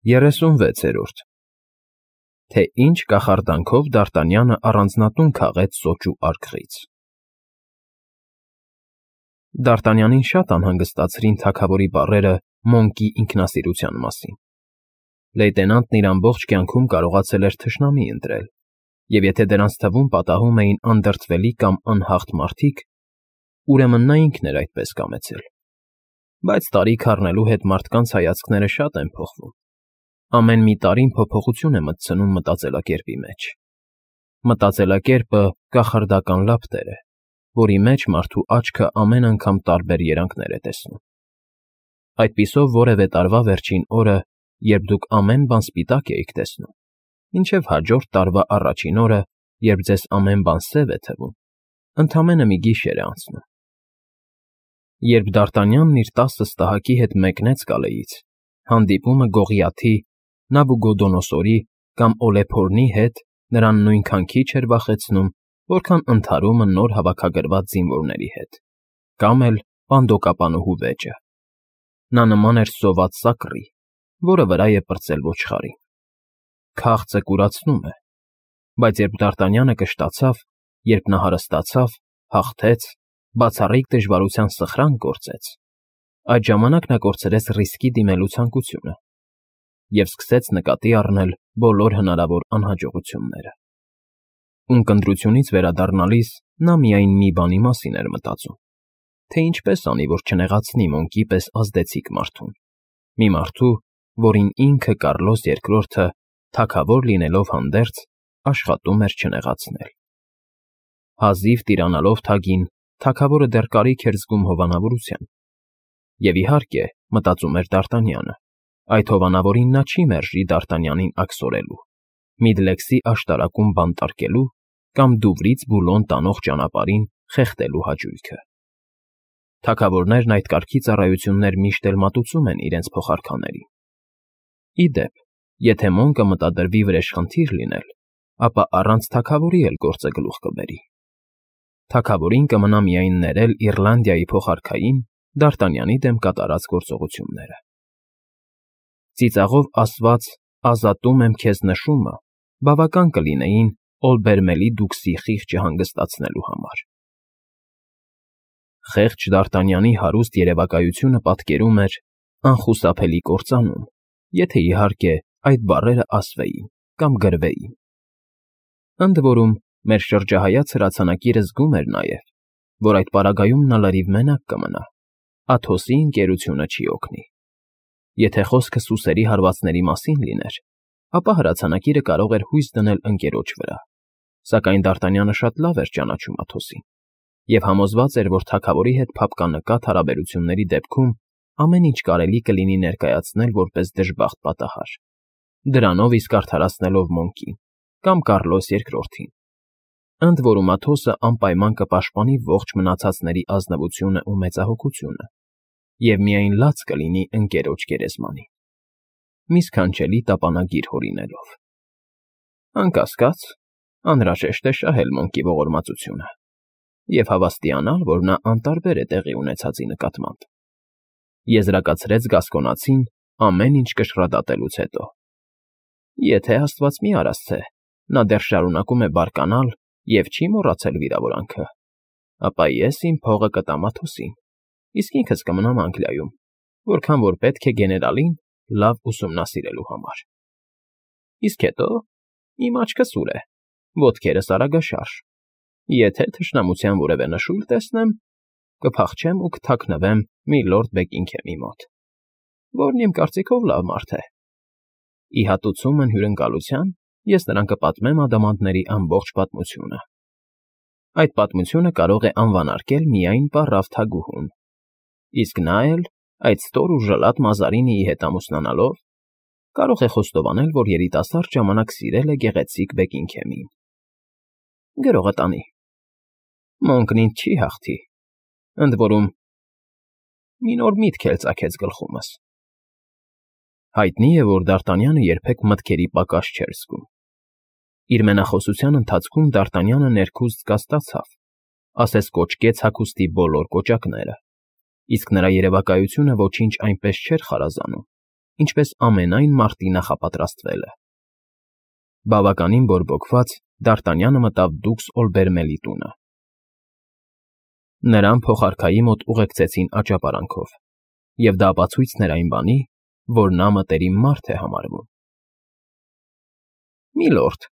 36-րդ Թե ինչ կախարդանքով Դարտանյանը առանձնատուն քաղեց սոճու արկղից։ Դարտանյանին շատ անհանգստացրին թագավորի բառերը Մոնկի ինքնասիրության մասին։ Լեյտենանտն իր ամբողջ կյանքում կարողացել էր թշնամի ընտրել, և եթե դրանց թվում պատահում էին անդրդվելի կամ անհաղթ մարդիկ, ուրեմն նա ինքն էր այդպես կամեցել։ Բայց տարիք առնելու հետ մարդկանց հայացքները շատ են փոխվում։ Ամեն մի տարին փոփոխություն է մտցնում մտածելակերպի մեջ։ Մտածելակերպը կախարդական լապտեր է, որի մեջ մարդու աչքը ամեն անգամ տարբեր երանգներ է տեսնում։ Այդպիսով որևէ տարվա վերջին օրը, երբ դուք ամեն բան սպիտակ էիք տեսնում, մինչև հաջորդ տարվա առաջին օրը, երբ ձեզ ամեն բան սև է թվում, ընդամենը մի գիշեր է անցնում։ Երբ Դարտանյանն իր 10 ստահակի հետ մեկնեց Կալեից, հանդիպումը Գողիաթի, Նաբուգոդոնոսորի կամ Օլեփորնի հետ նրան նույնքան քիչ էր վախեցնում, որքան ընդհարումը նոր հավաքագրված զինվորների հետ, կամ էլ պանդոկապանուհու վեճը։ Նա նման էր սոված սակռի, որը վրա է պրծել ոչխարին։ Քաղցը կուրացնում է, բայց երբ Դարտանյանը կշտացավ, երբ նա հարստացավ, հաղթեց, բացառիկ դժվարության սխրան կորցեց, այդ ժամանակ նա կորցրեց ռիսկի դիմելու ցանկությունը և սկսեց նկատի առնել բոլոր հնարավոր անհաջողությունները։ Ունկնդրությունից վերադառնալիս նա միայն մի բանի մասին էր մտածում, թե ինչպես անի, որ չնեղացնի Մոնկի պես ազդեցիկ մարդուն, մի մարդու, որին ինքը Կարլոս II, թագավոր լինելով հանդերձ, աշխատում էր չնեղացնել։ Հազիվ տիրանալով թագին, թագավորը դեռ կարիք էր զգում հովանավորության։ Եվ իհարկե, մտածում էր Դարտանյանը, այդ հովանավորին նա չի մերժի Դարտանյանին աքսորելու, Միդլեքսի աշտարակում բանտարկելու կամ Դուվրից Բուլոն տանող ճանապարհին խեղդելու հաճույքը։ Թագավորներն այդ կարգի ծառայություններ միշտ էլ մատուցում են իրենց փոխարքաներին։ Ի դեպ, եթե Մոնկը մտադրվի վրեժխնդիր լինել, ապա առանց թագավորի էլ գործը գլուխ կբերի։ Թագավորին կմնա միայն ներել Իռլանդիայի փոխարքային Դարտանյանի դեմ կատարած գործողությունները։ Ծիծաղով ասված «ազատում եմ քեզ» նշումը բավական կլինեին Օլբերմելի դուքսի խիղճը հանգստացնելու համար։ Խեղճ Դարտանյանի հարուստ երևակայությունը պատկերում էր անխուսափելի կործանում, եթե իհարկե այդ բառերը ասվեին կամ գրվեին։ Ընդ որում, մեր շրջահայաց հրացանակիրը զգում էր նաև, որ այդ պարագայում նա լրիվ մենակ կմնա, Աթոսի ընկերությունը չի օգնի։ Եթե խոսքը սուսերի հարվածների մասին լիներ, ապա հրացանակիրը կարող էր հույս դնել ընկերոջ վրա, սակայն Դարտանյանը շատ լավ էր ճանաչում Աթոսին և համոզված էր, որ թագավորի հետ փափկանկատ հարաբերությունների դեպքում ամեն ինչ կարելի կլինի ներկայացնել որպես դժբախտ պատահար, դրանով իսկ արդարացնելով Մոնկին կամ Կարլոս II-ին։ Ընդ որում Աթոսը անպայման կպաշտպանի ողջ մնացածների ազնվությունը ու մեծահոգությունը և միայն լաց կլինի ընկերոջ գերեզմանին, մի սքանչելի տապանագիր հորինելով։ Անկասկած, անհրաժեշտ է շահել Մոնկի ողորմածությունը և հավաստիանալ, որ նա անտարբեր է տեղի ունեցածի նկատմամբ, եզրակացրեց Գասկոնացին ամեն ինչ կշռադատելուց հետո։ Եթե աստված մի արասցե, նա դեռ շարունակում է բարկանալ և չի մոռացել վիրավորանքը, ապա ես իմ փողը կտամ Աթոսին, իսկ ինքս կմնամ Անգլիայում, որքան որ պետք է գեներալին լավ ուսումնասիրելու համար։ Իսկ հետո իմ աչքը սուր է, ոտքերս արագաշարժ, եթե թշնամության որևէ նշույլ տեսնեմ, կփախչեմ ու կթաքնվեմ Միլորդ Բեքինգհեմի մոտ, որն իմ կարծիքով լավ մարդ է։ Ի հատուցումն հյուրընկալության ես նրան կպատմեմ ադամանդների ամբողջ պատմությունը։ Այդ պատմությունը կարող է անվանարկել միայն պառավ թագուհուն, իսկ նա էլ, այդ ստոր ու ժլատ Մազարինիի հետ ամուսնանալով, կարող է խոստովանել, որ երիտասարդ ժամանակ սիրել է գեղեցիկ Բեքինգհեմին։ Գրողը տանի։ Մոնկն ինձ չի հաղթի, ընդ որում մի նոր միտք էլ ծագեց գլխումս։ Հայտնի է, որ Դարտանյանը երբեք մտքերի պակաս չէր զգում։ Իր մենախոսության ընթացքում Դարտանյանը ներքուստ կասկածավ, ասես կոճկեց հագուստի բոլոր կոճակները, իսկ նրա երևակայությունը ոչինչ այնպես չէր խարազանում, ինչպես ամենայն մարտի նախապատրաստվելը։ Բավականին բորբոքված Դարտանյանը մտավ դուքս Օլբերմելի տունը։ Նրան փոխարքայի մոտ ուղեկցեցին աճապարանքով, և դա ապացույցն էր այն բանի, որ նա մտերիմ մարդ է համարվում։ «Միլորդ»,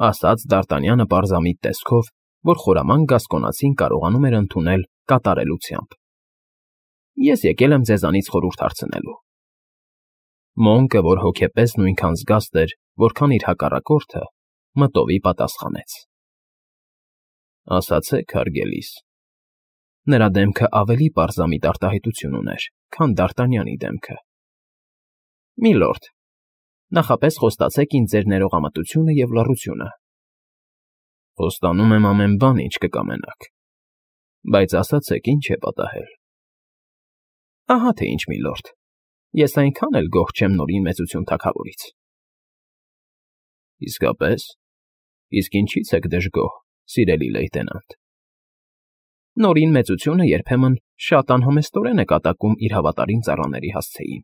ասաց Դարտանյանը պարզամիտ տեսքով, որ խորամանկ գասկոնացին կարողանում էր ընդունել կատարելությամբ։ «Ես եկել եմ ձեզանից խորհուրդ հարցնելու»։ Մոնկը, որ հոգեպես նույնքան զգաստ էր, որքան իր հակառակորդը, մտովի պատասխանեց. «Ասացեք, հարգելիս»։ Նրա դեմքը ավելի պարզամիտ արտահայտություն ուներ, քան Դարտանյանի դեմքը։ «Միլորդ, նախապես խոստացեք ինձ ձեր ներողամտությունը և լռությունը»։ «Խոստանում եմ ամեն բան, ինչ կկամենաք, բայց ասացեք, ինչ է պատահել»։ «Ահա թե ինչ, միլորդ, ես այնքան էլ գոհ չեմ Նորին Մեծություն թագավորից»։ «Իսկապես, իսկ ինչի՞ց եք դժգոհ, սիրելի լեյտենանտ»։ Նորին Մեծությունը երբեմն շատ անհամեստորեն է կատակում իր հավատարիմ ծառաների հասցեին,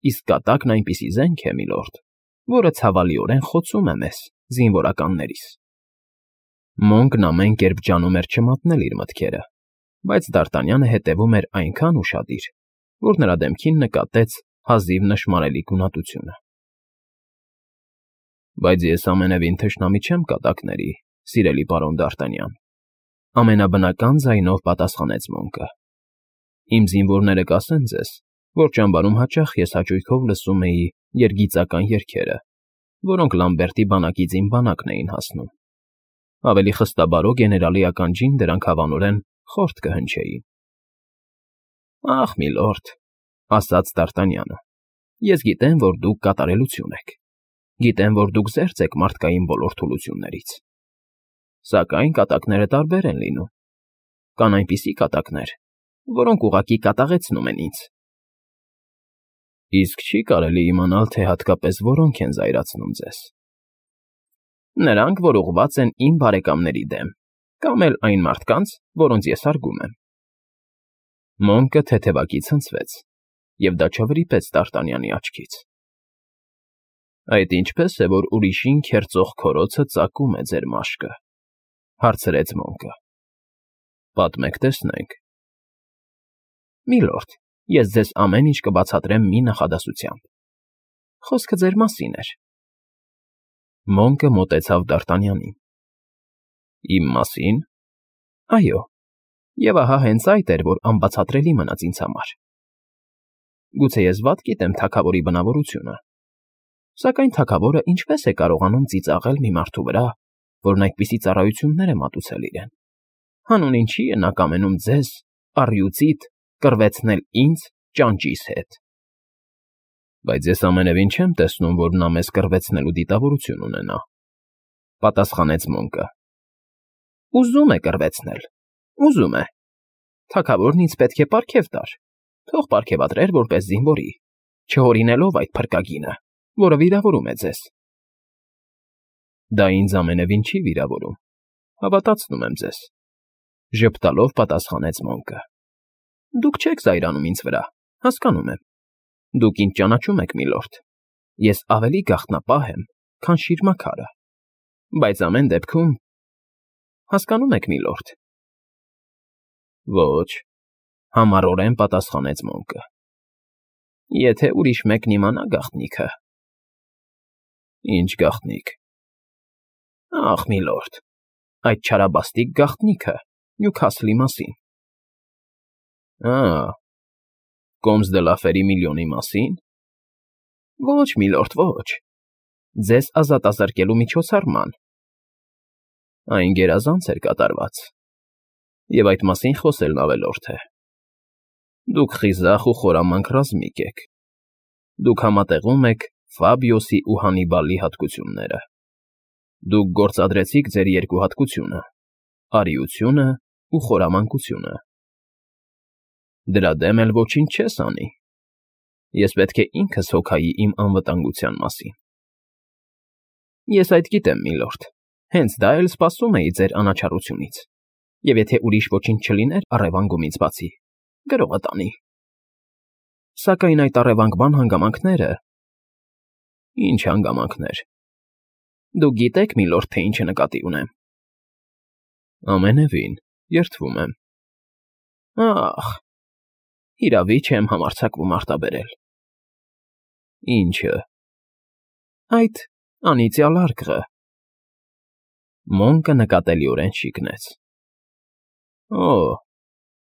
իսկ կատակն այնպիսի զենք է, միլորդ, որը ցավալիորեն խոցում է մեզ, զինվորականներիս։ Մոնկն ամեն կերպ ջանում էր չմատնել իր մտքերը, բայց Դարտանյանը հետևում էր այնքան ուշադիր, որ նրա դեմքին նկատեց հազիվ նշմարելի գունատությունը։ «Բայց ես ամենևին թշնամի չեմ կատակների, սիրելի պարոն Դարտանյան», ամենաբնական ձայնով պատասխանեց Մոնկը։ «Իմ զինվորները կասեն ձեզ, որ ճամբարում հաճախ ես հաճույքով լսում էի երգիծական երգերը, որոնք Լամբերտի բանակից իմ բանակն էին հասնում։ Ավելի խստաբարո գեներալի ականջին դրանք հավանորեն խորթ կհնչեին»։ «Ախ, միլորդ», ասաց Դարտանյանը, «ես գիտեմ, որ դուք կատարելություն եք, գիտեմ, որ դուք զերծ եք մարդկային բոլոր թուլություններից։ Սակայն կատակները տարբեր են լինում։ Կան այնպիսի կատակներ, որոնք ուղղակի կատաղեցնում են ինձ»։ «Իսկ չի կարելի իմանալ, թե հատկապես որոնք են զայրացնում ձեզ»։ «Նրանք, որ ուղղված են իմ բարեկամների դեմ, կամ էլ այն մարդկանց, որոնց ես հարգում եմ»։ Մոնկը թեթևակի ցնցվեց, և դա չվրիպեց Դարտանյանի աչքից։ «Այդ ինչպե՞ս է, որ ուրիշին քերծող քորոցը ծակում է ձեր մաշկը», հարցրեց Մոնկը։ «Պատմեք, տեսնենք»։ «Միլորդ, ես ձեզ ամեն ինչ կբացատրեմ մի նախադասությամբ։ Խոսքը ձեր մասին էր»։ Մոնկը մոտեցավ Դարտանյանին։ «Իմ մասին»։ «Այո, և ահա հենց այդ էր, որ անբացատրելի մնաց ինձ համար։ Գուցե ես վատ գիտեմ թագավորի բնավորությունը, սակայն թագավորը ինչպե՞ս է կարողանում ծիծաղել մի մարդու վրա, որն այդպիսի ծառայություններ է մատուցել իրեն։ Հանուն ինչի է նա կամենում ձեզ, առյուծիդ, կռվեցնել ինձ ճանճիս հետ»։ «Բայց ես ամենևին չեմ տեսնում, որ նա մեզ կռվեցնելու դիտավորություն ունենա», պատասխանեց Մոնկը։ «Ուզում է կռվեցնել, ուզում է։ Թագավորն ինձ պետք է պարգև տար, թող պարգևատրեր որպես զինվորի, չհորինելով այդ փրկագինը, որը վիրավորում է ձեզ»։ «Դա ինձ ամենևին չի վիրավորում, հավատացնում եմ ձեզ», ժպտալով պատասխանեց Մոնկը։ «Դուք չեք զայրանում ինձ վրա, հասկանում եմ։ Դուք ինձ ճանաչում եք, միլորդ։ Ես ավելի գաղտնապահ եմ, քան շիրմաքարը, բայց ամեն դեպքում… Հասկանում եք, միլորդ»։ «Ոչ», համառորեն պատասխանեց Մոնկը։ «Եթե ուրիշ մեկն իմանա գաղտնիքը»։ «Ինչ գաղտնիք»։ «Ախ, միլորդ, այդ չարաբաստիկ գաղտնիքը Նյուքասլի մասին»։ «Ա՜, Կոմս դը Լաֆերի միլիոնի մասին»։ «Ոչ, միլորդ, ոչ, ձեզ ազատազրկելու միջոցառման»։ «Այն գերազանց էր կատարված, և այդ մասին խոսելն ավելորդ է։ Դուք խիզախ ու խորամանկ ռազմիկ եք։ Դուք համատեղում եք Ֆաբիոսի ու Հանիբալի հատկությունները։ Դուք գործադրեցիք ձեր երկու հատկությունը՝ արիությունը ու խորամանկությունը։ Դրա դեմ էլ ոչինչ չես անի։ Ես պետք է ինքս հոգայի իմ անվտանգության մասին»։ «Ես այդ գիտեմ, միլորդ, հենց դա էլ սպասում էի ձեր անաչառությունից, և եթե ուրիշ ոչինչ չլիներ առևանգումից բացի, գրողը տանի»։ Սակայն այդ առևանգման հանգամանքները… Ինչ հանգամանքներ… Դուք գիտեք, միլորդ, թե ինչ նկատի ունեմ… Ամենևին, երդվում եմ… Ախ… Հիրավի չեմ համարձակվում արտաբերել… Ի՞նչը… Այդ անիծյալ արկղը… Մոնկը նկատելիորեն շիկնեց… Օ՜,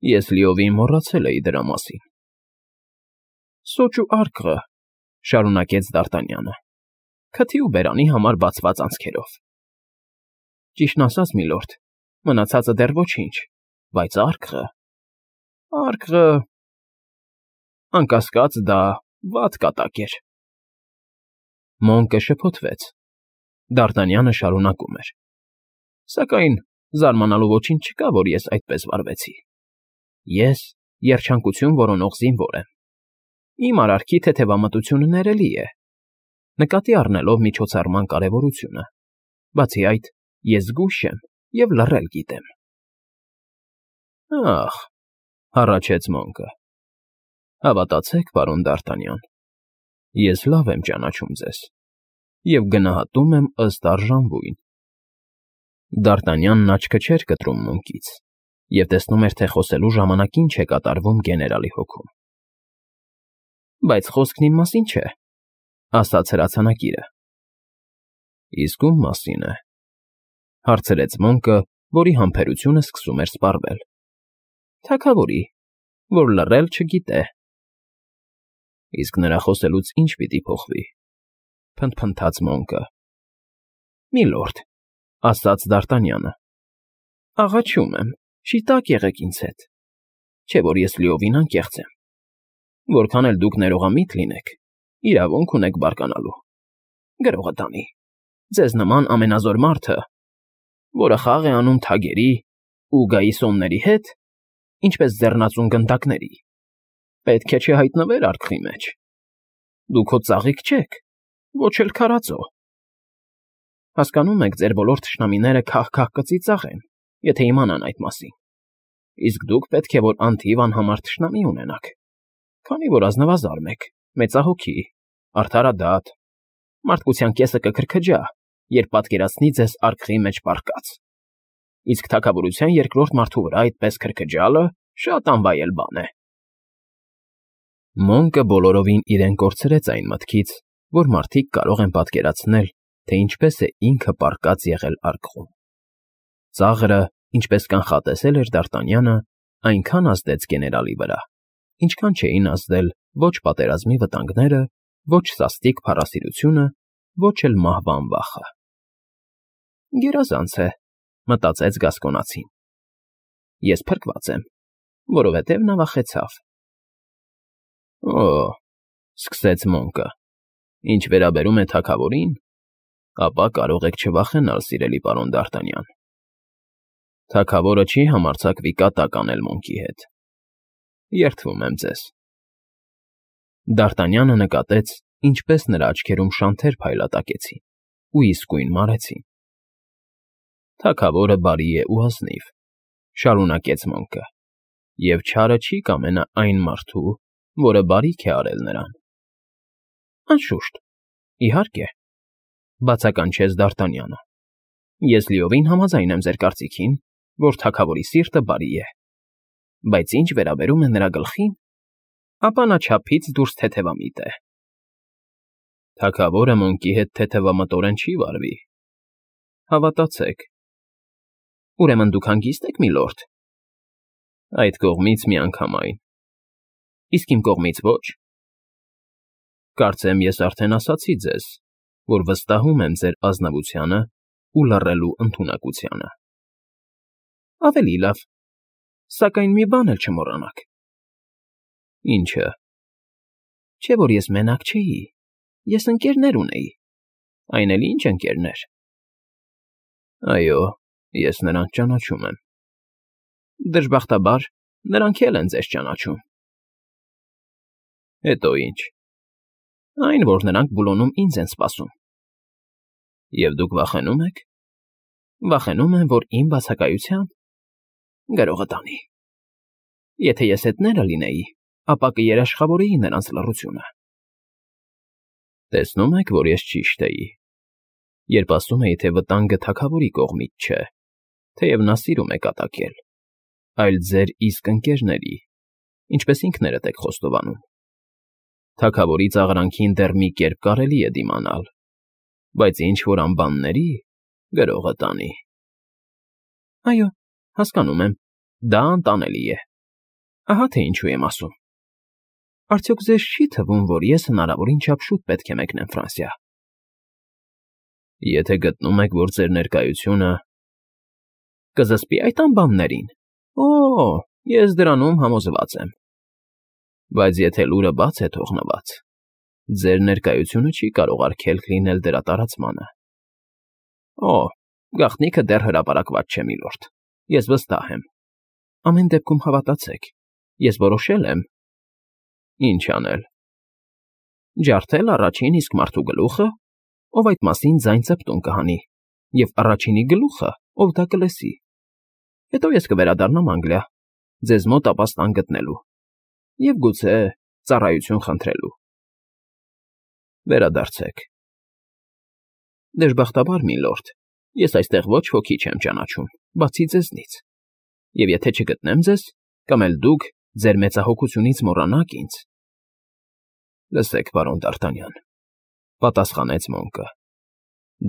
ես լիովին մոռացել էի դրա մասին… Սոճու արկղը…֊ շարունակեց Դ'Արտանյանը, քթի ու բերանի համար բացված անցքերով… Ճիշտն ասած, միլորդ, մնացածը դեռ ոչինչ, բայց արկղը… Արկղը… Անկասկած, դա վատ կատակ էր… Մոնկը շփոթվեց… Դ'Արտանյանը շարունակում էր. Սակայն զարմանալու ոչինչ չկա, որ ես այդպես վարվեցի… Ես երջանկություն որոնող զինվոր եմ… Իմ արարքի թեթևամտությունը ներելի է, նկատի առնելով միջոցառման կարևորությունը… Բացի այդ, ես զգույշ եմ և լռել գիտեմ… Ախ… հառաչեց Մոնկը… Հավատացեք, պարոն Դ'Արտանյան, ես լավ եմ ճանաչում ձեզ և գնահատում եմ ըստ արժանվույն… Դ'Արտանյանն աչքը չէր կտրում Մոնկից և տեսնում էր, թե խոսելու ժամանակ ինչ է կատարվում գեներալի հոգում… Բայց խոսքն իմ մասին չէ, ասաց հրացանակիրը… Իսկ ո՞ւմ մասին է… հարցրեց Մոնկը, որի համբերությունը սկսում էր սպառվել… Թագավորի, որ լռել չգիտե… Իսկ նրա խոսելուց ի՞նչ պիտի փոխվի… փնթփնթաց Մոնկը… Միլորդ, ասաց Դ'Արտանյանը, աղաչում եմ, շիտակ եղեք ինձ հետ… Չէ՞ որ ես լիովին անկեղծ եմ… Որքան էլ դուք ներողամիտ լինեք, իրավունք ունեք բարկանալու… Գրողը տանի… Ձեզ նման ամենազոր մարդը, որը խաղ է անում թագերի ու գաիսոնների հետ, ինչպես ձեռնածուն գնդակների, պետք է չհայտնվեր արկղի մեջ… Դուք հո ծաղիկ չեք, ոչ էլ քարածո… Հասկանում եք, ձեր բոլոր թշնամիները քահ֊քահ կծիծաղեն, եթե իմանան այդ մասին… Իսկ դուք պետք է որ անթիվ անհամար թշնամի ունենաք, քանի որ ազնվազարմ եք, մեծահոգի, արդարադատ, մարդկության կեսը կքրքջա, երբ պատկերացնի ձեզ արկղի մեջ պառկած… Իսկ թագավորության երկրորդ մարդու վրա այդպես քրքջալը շատ անվայել բան է… Մոնկը բոլորովին իրեն կորցրեց այն մտքից, որ մարդիկ կարող են պատկերացնել, թե ինչպես է ինքը պառկած եղել արկղում… Ծաղրը, ինչպես կանխատեսել էր Դ'Արտանյանը, այնքան ազդեց գեներալի վրա, ինչքան չէին ազդել ոչ պատերազմի վտանգները, ոչ սաստիկ փառասիրությունը, ոչ էլ մահվան վախը… Գերազանց է, մտածեց Գասկոնացին… Ես փրկված եմ, որովհետև նա վախեցավ… Օ՜, սկսեց Մոնկը, ինչ վերաբերում է թագավորին, ապա կարող եք չվախենալ, սիրելի պարոն Դ'Արտանյան… Թագավորը չի համարձակվի կատակ անել Մոնկի հետ… Երդվում եմ ձեզ… Դ'Արտանյանը նկատեց, ինչպես նրա աչքերում շանթեր փայլատակեցին ու իսկույն մարեցին… Թագավորը բարի է ու ազնիվ, շարունակեց Մոնկը, և չարը չի կամենա այն մարդու, որը բարիք է արել նրան… Անշուշտ, իհարկե, բացականչեց Դ'Արտանյանը, ես լիովին համաձայն եմ ձեր կարծիքին, որ թագավորի սիրտը բարի է, բայց ինչ վերաբերում է նրա գլխին, ապա նա չափից դուրս թեթևամիտ է… Թագավորը Մոնկի հետ թեթևամտորեն չի վարվի, հավատացեք… Ուրեմն դուք հանգիստ եք, միլորդ… Այդ կողմից միանգամայն… Իսկ իմ կողմից ոչ… Կարծեմ ես արդեն ասացի ձեզ, որ վստահում եմ ձեր ազնվությանը ու լռելու ընդունակությանը… Ավելի լավ, սակայն մի բան էլ չմոռանաք… Ի՞նչը… Չէ՞ որ ես մենակ չէի, ես ընկերներ ունեի… Այն էլ ինչ ընկերներ… Այո, ես նրանց ճանաչում եմ… Դժբախտաբար, նրանք էլ են ձեզ ճանաչում… Հետո ի՞նչ… Այն, որ նրանք Բուլոնում ինձ են սպասում… Եվ դուք վախենո՞ւմ եք… Վախենում եմ, որ իմ բացակայությա… Գրողը տանի… Եթե ես հետները լինեի, ապա կերաշխավորեի նրանց լռությունը։ Տեսնում եք, որ ես ճիշտ էի, երբ ասում էի, թե վտանգը թագավորի կողմից չէ, թեև նա սիրում է կատակել, այլ ձեր իսկ ընկերների, ինչպես ինքներդ եք խոստովանում։ Թագավորի ծաղրանքին դեռ մի կերպ կարելի է դիմանալ, բայց ինչ-որ անբանների գրողը տանի։ Այո, հասկանում եմ, դա անտանելի է։ Ահա թե ինչու եմ ասում։ Արդյոք ձեզ չի թվում, որ ես հնարավորին չափ շուտ պետք է մեկնեմ Ֆրանսիա։ Եթե գտնում եք, որ ձեր ներկայությունը կզսպի այդ անբաններին, ես դրանում համոզված եմ։ Բայց եթե լուրը բաց է թողնված, ձեր ներկայությունը չի կարող արգելք լինել դրա տարածմանը։ Գաղտնիքը դեռ հրապարակված չէ, միլորդ, ես վստահ եմ։ Ամեն դեպքում հավատացեք, ես որոշել եմ։ Ինչ անել։ Ջարդել առաջին իսկ մարդու գլուխը, ով այդ մասին ձայն ծպտուն կհանի, և առաջինի գլուխը, ով դա կլսի։ Հետո ես կվերադառնամ Անգլիա, ձեզ մոտ ապաստան գտնելու և գուցե ծառայություն խնդրելու։ Վերադարձեք։ Դժբախտաբար, միլորդ, ես այստեղ ոչ ոքի չեմ ճանաչում, բացի ձեզնից, և եթե չգտնեմ ձեզ, կամ էլ դուք ձեր մեծահոգությունից մոռանաք ինձ… Լսեք, պարոն Դ'Արտանյան, պատասխանեց Մոնկը,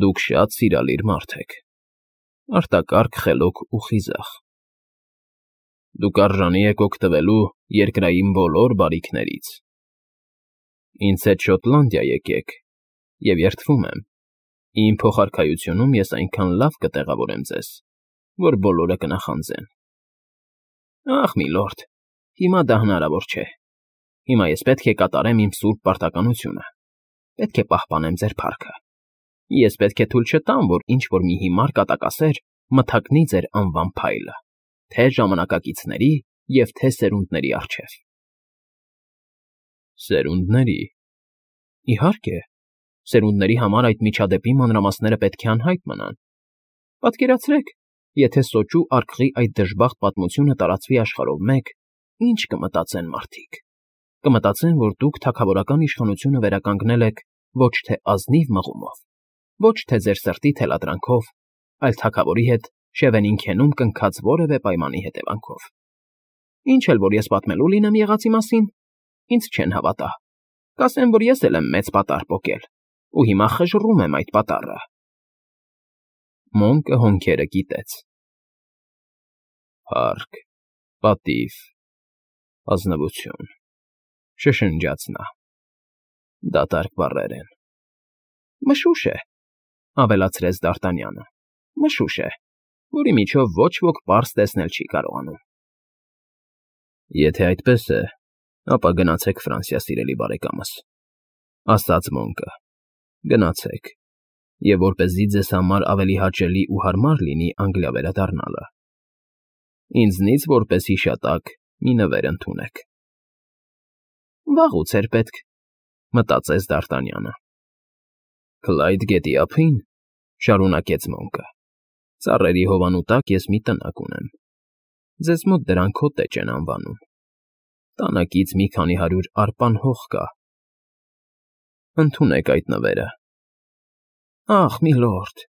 դուք շատ սիրալիր մարդ եք, արտակարգ, խելոք ու խիզախ։ Դուք արժանի եք օգտվելու երկրային բոլոր բարիքներից։ Ինձ հետ Շոտլանդիա եկեք, և երդվում եմ, իմ փոխարքայությունում ես այնքան լավ կտեղավորեմ ձեզ, որ բոլորը կնախանձեն։ Ախ, միլորդ, հիմա դա հնարավոր չէ։ Հիմա ես պետք է կատարեմ իմ սուրբ պարտականությունը, պետք է պահպանեմ ձեր փառքը։ Ես պետք է թույլ չտամ, որ ինչ-որ մի հիմար կատակասեր մթակնի ձեր անվան փայլը, թե ժամանակակիցների և թե սերունդների առջև։ Սերունդների… Իհարկե, սերունդների համար այդ միջադեպի մանրամասները պետք է անհայտ մնան։ Պատկերացրեք, եթե սոճու արկղի այդ դժբախտ պատմությունը տարածվի աշխարհով մեկ, ինչ կմտածեն մարդիկ։ Կմտածեն, որ դուք թագավորական իշխանությունը վերականգնել եք ոչ թե ազնիվ մղումով, ոչ թե ձեր սրտի թելադրանքով, այլ թագավորի հետ Շևենին քենում կնքած որևէ պայմանի հետևանքով։ Ինչ էլ որ ես պատմելու լինեմ եղածի մասին, ինձ չեն հավատա։ Կասեն, որ ես էլ եմ մեծ պատառ պոկել, ու հիմա խժռում եմ այդ պատառը։ Մոնկը հոնքերը կիտեց։ Փառք, պատիվ, ազնվություն, շշնջաց նա։ Դատարկ բառեր են։ Մշուշ է, ավելացրեց Դ'Արտանյանը, մշուշ է, որի միջով ոչ ոք պարզ տեսնել չի կարողանում։ Եթե այդպես է, ապա գնացեք Ֆրանսիա, սիրելի բարեկամս, ասաց Մոնկը, գնացեք, և որպեսզի ձեզ համար ավելի հաճելի ու հարմար լինի Անգլիա վերադառնալը, ինձնից որպես հիշատակ մի նվեր ընդունեք։ Վաղուց էր պետք, մտածեց Դ'Արտանյանը։ Քլայդ գետի ափին, շարունակեց Մոնկը, ծառերի հովանու տակ ես մի տնակ ունեմ, ձեզ մոտ դրան քոտեջ են անվանում, տանակից մի քանի 100 արպան հող կա։ Ընդունեք այդ նվերը։ Ախ, միլորդ,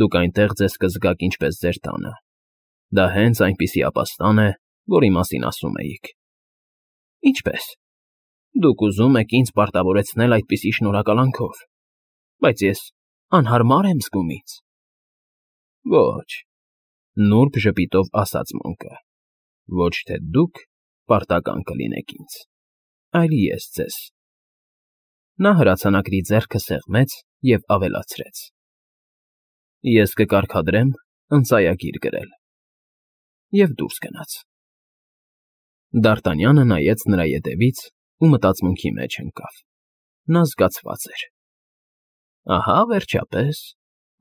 դուք այնտեղ ձեզ կզգաք ինչպես ձեր տանը, դա հենց այնպիսի ապաստան է, որի մասին ասում էիք։ Ինչպե՞ս։ Դուք ուզում եք ինձ պարտավորեցնել այդպիսի շնորհակալանքով, բայց ես անհարմար եմ զգում ինձ։ Ոչ, նուրբ ժպիտով ասաց Մոնկը, ոչ թե դուք պարտական կլինեք ինձ, այլ ես ձեզ։ Նա հրացանակրի ձեռքը սեղմեց և ավելացրեց. Ես կկարգադրեմ ընծայագիր գրել։ Եվ դուրս գնաց։ Դ'Արտանյանը նայեց նրա ետևից ու մտածմունքի մեջ ընկավ։ Նա զգացված էր։ Ահա, վերջապես,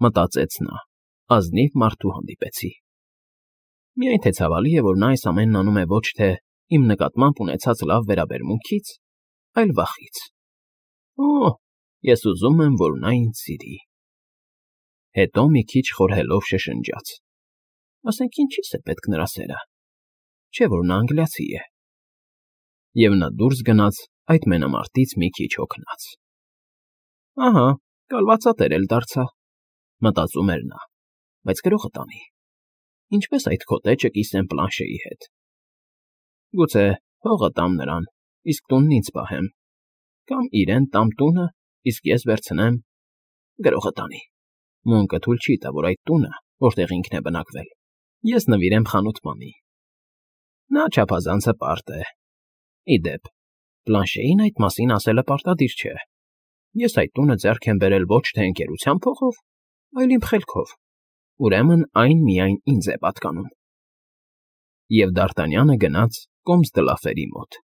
մտածեց նա, ազնիվ մարդու հանդիպեցի։ Միայն թե ցավալի է, որ նա այս ամենն անում է ոչ թե իմ նկատմամբ ունեցած լավ վերաբերմունքից, այլ վախից։ Ես ուզում եմ, որ նա ինձ սիրի։ Հետո մի քիչ խորհելով շշնջաց. Ասենք ինչի՞ս է պետք նրա սերը, չէ՞ որ նա անգլիացի է։ Եվ նա դուրս գնաց այդ մենամարտից մի քիչ հոգնած։ «Ահա, կալվածատեր էլ դարձա», մտածում էր նա, բայց գրողը տանի։ Ինչպես այդ քոտեչը կիսեմ Պլանշեի հետ։ Գուցե հողը տամ նրան, իսկ տունն ինձ պահեմ, կամ իրեն տամ տունը, իսկ ես վերցնեմ… Գրողը տանի։ Մունկը թույլ չի տա, որ այդ տունը, որտեղ ինքն է բնակվել, ես նվիրեմ խանութպանի։ Նա չափազանց հպարտ է։ Ի դեպ, Պլանշեին այդ մասին ասելը պարտադիր չէ։ Ես այդ տունը ձեռք եմ բերել ոչ թե ընկերության փողով, այլ իմ խելքով, ուրեմն այն միայն ինձ է պատկանում։ Եվ Դ'Արտանյանը գնաց կոմս դլաֆերի մոտ։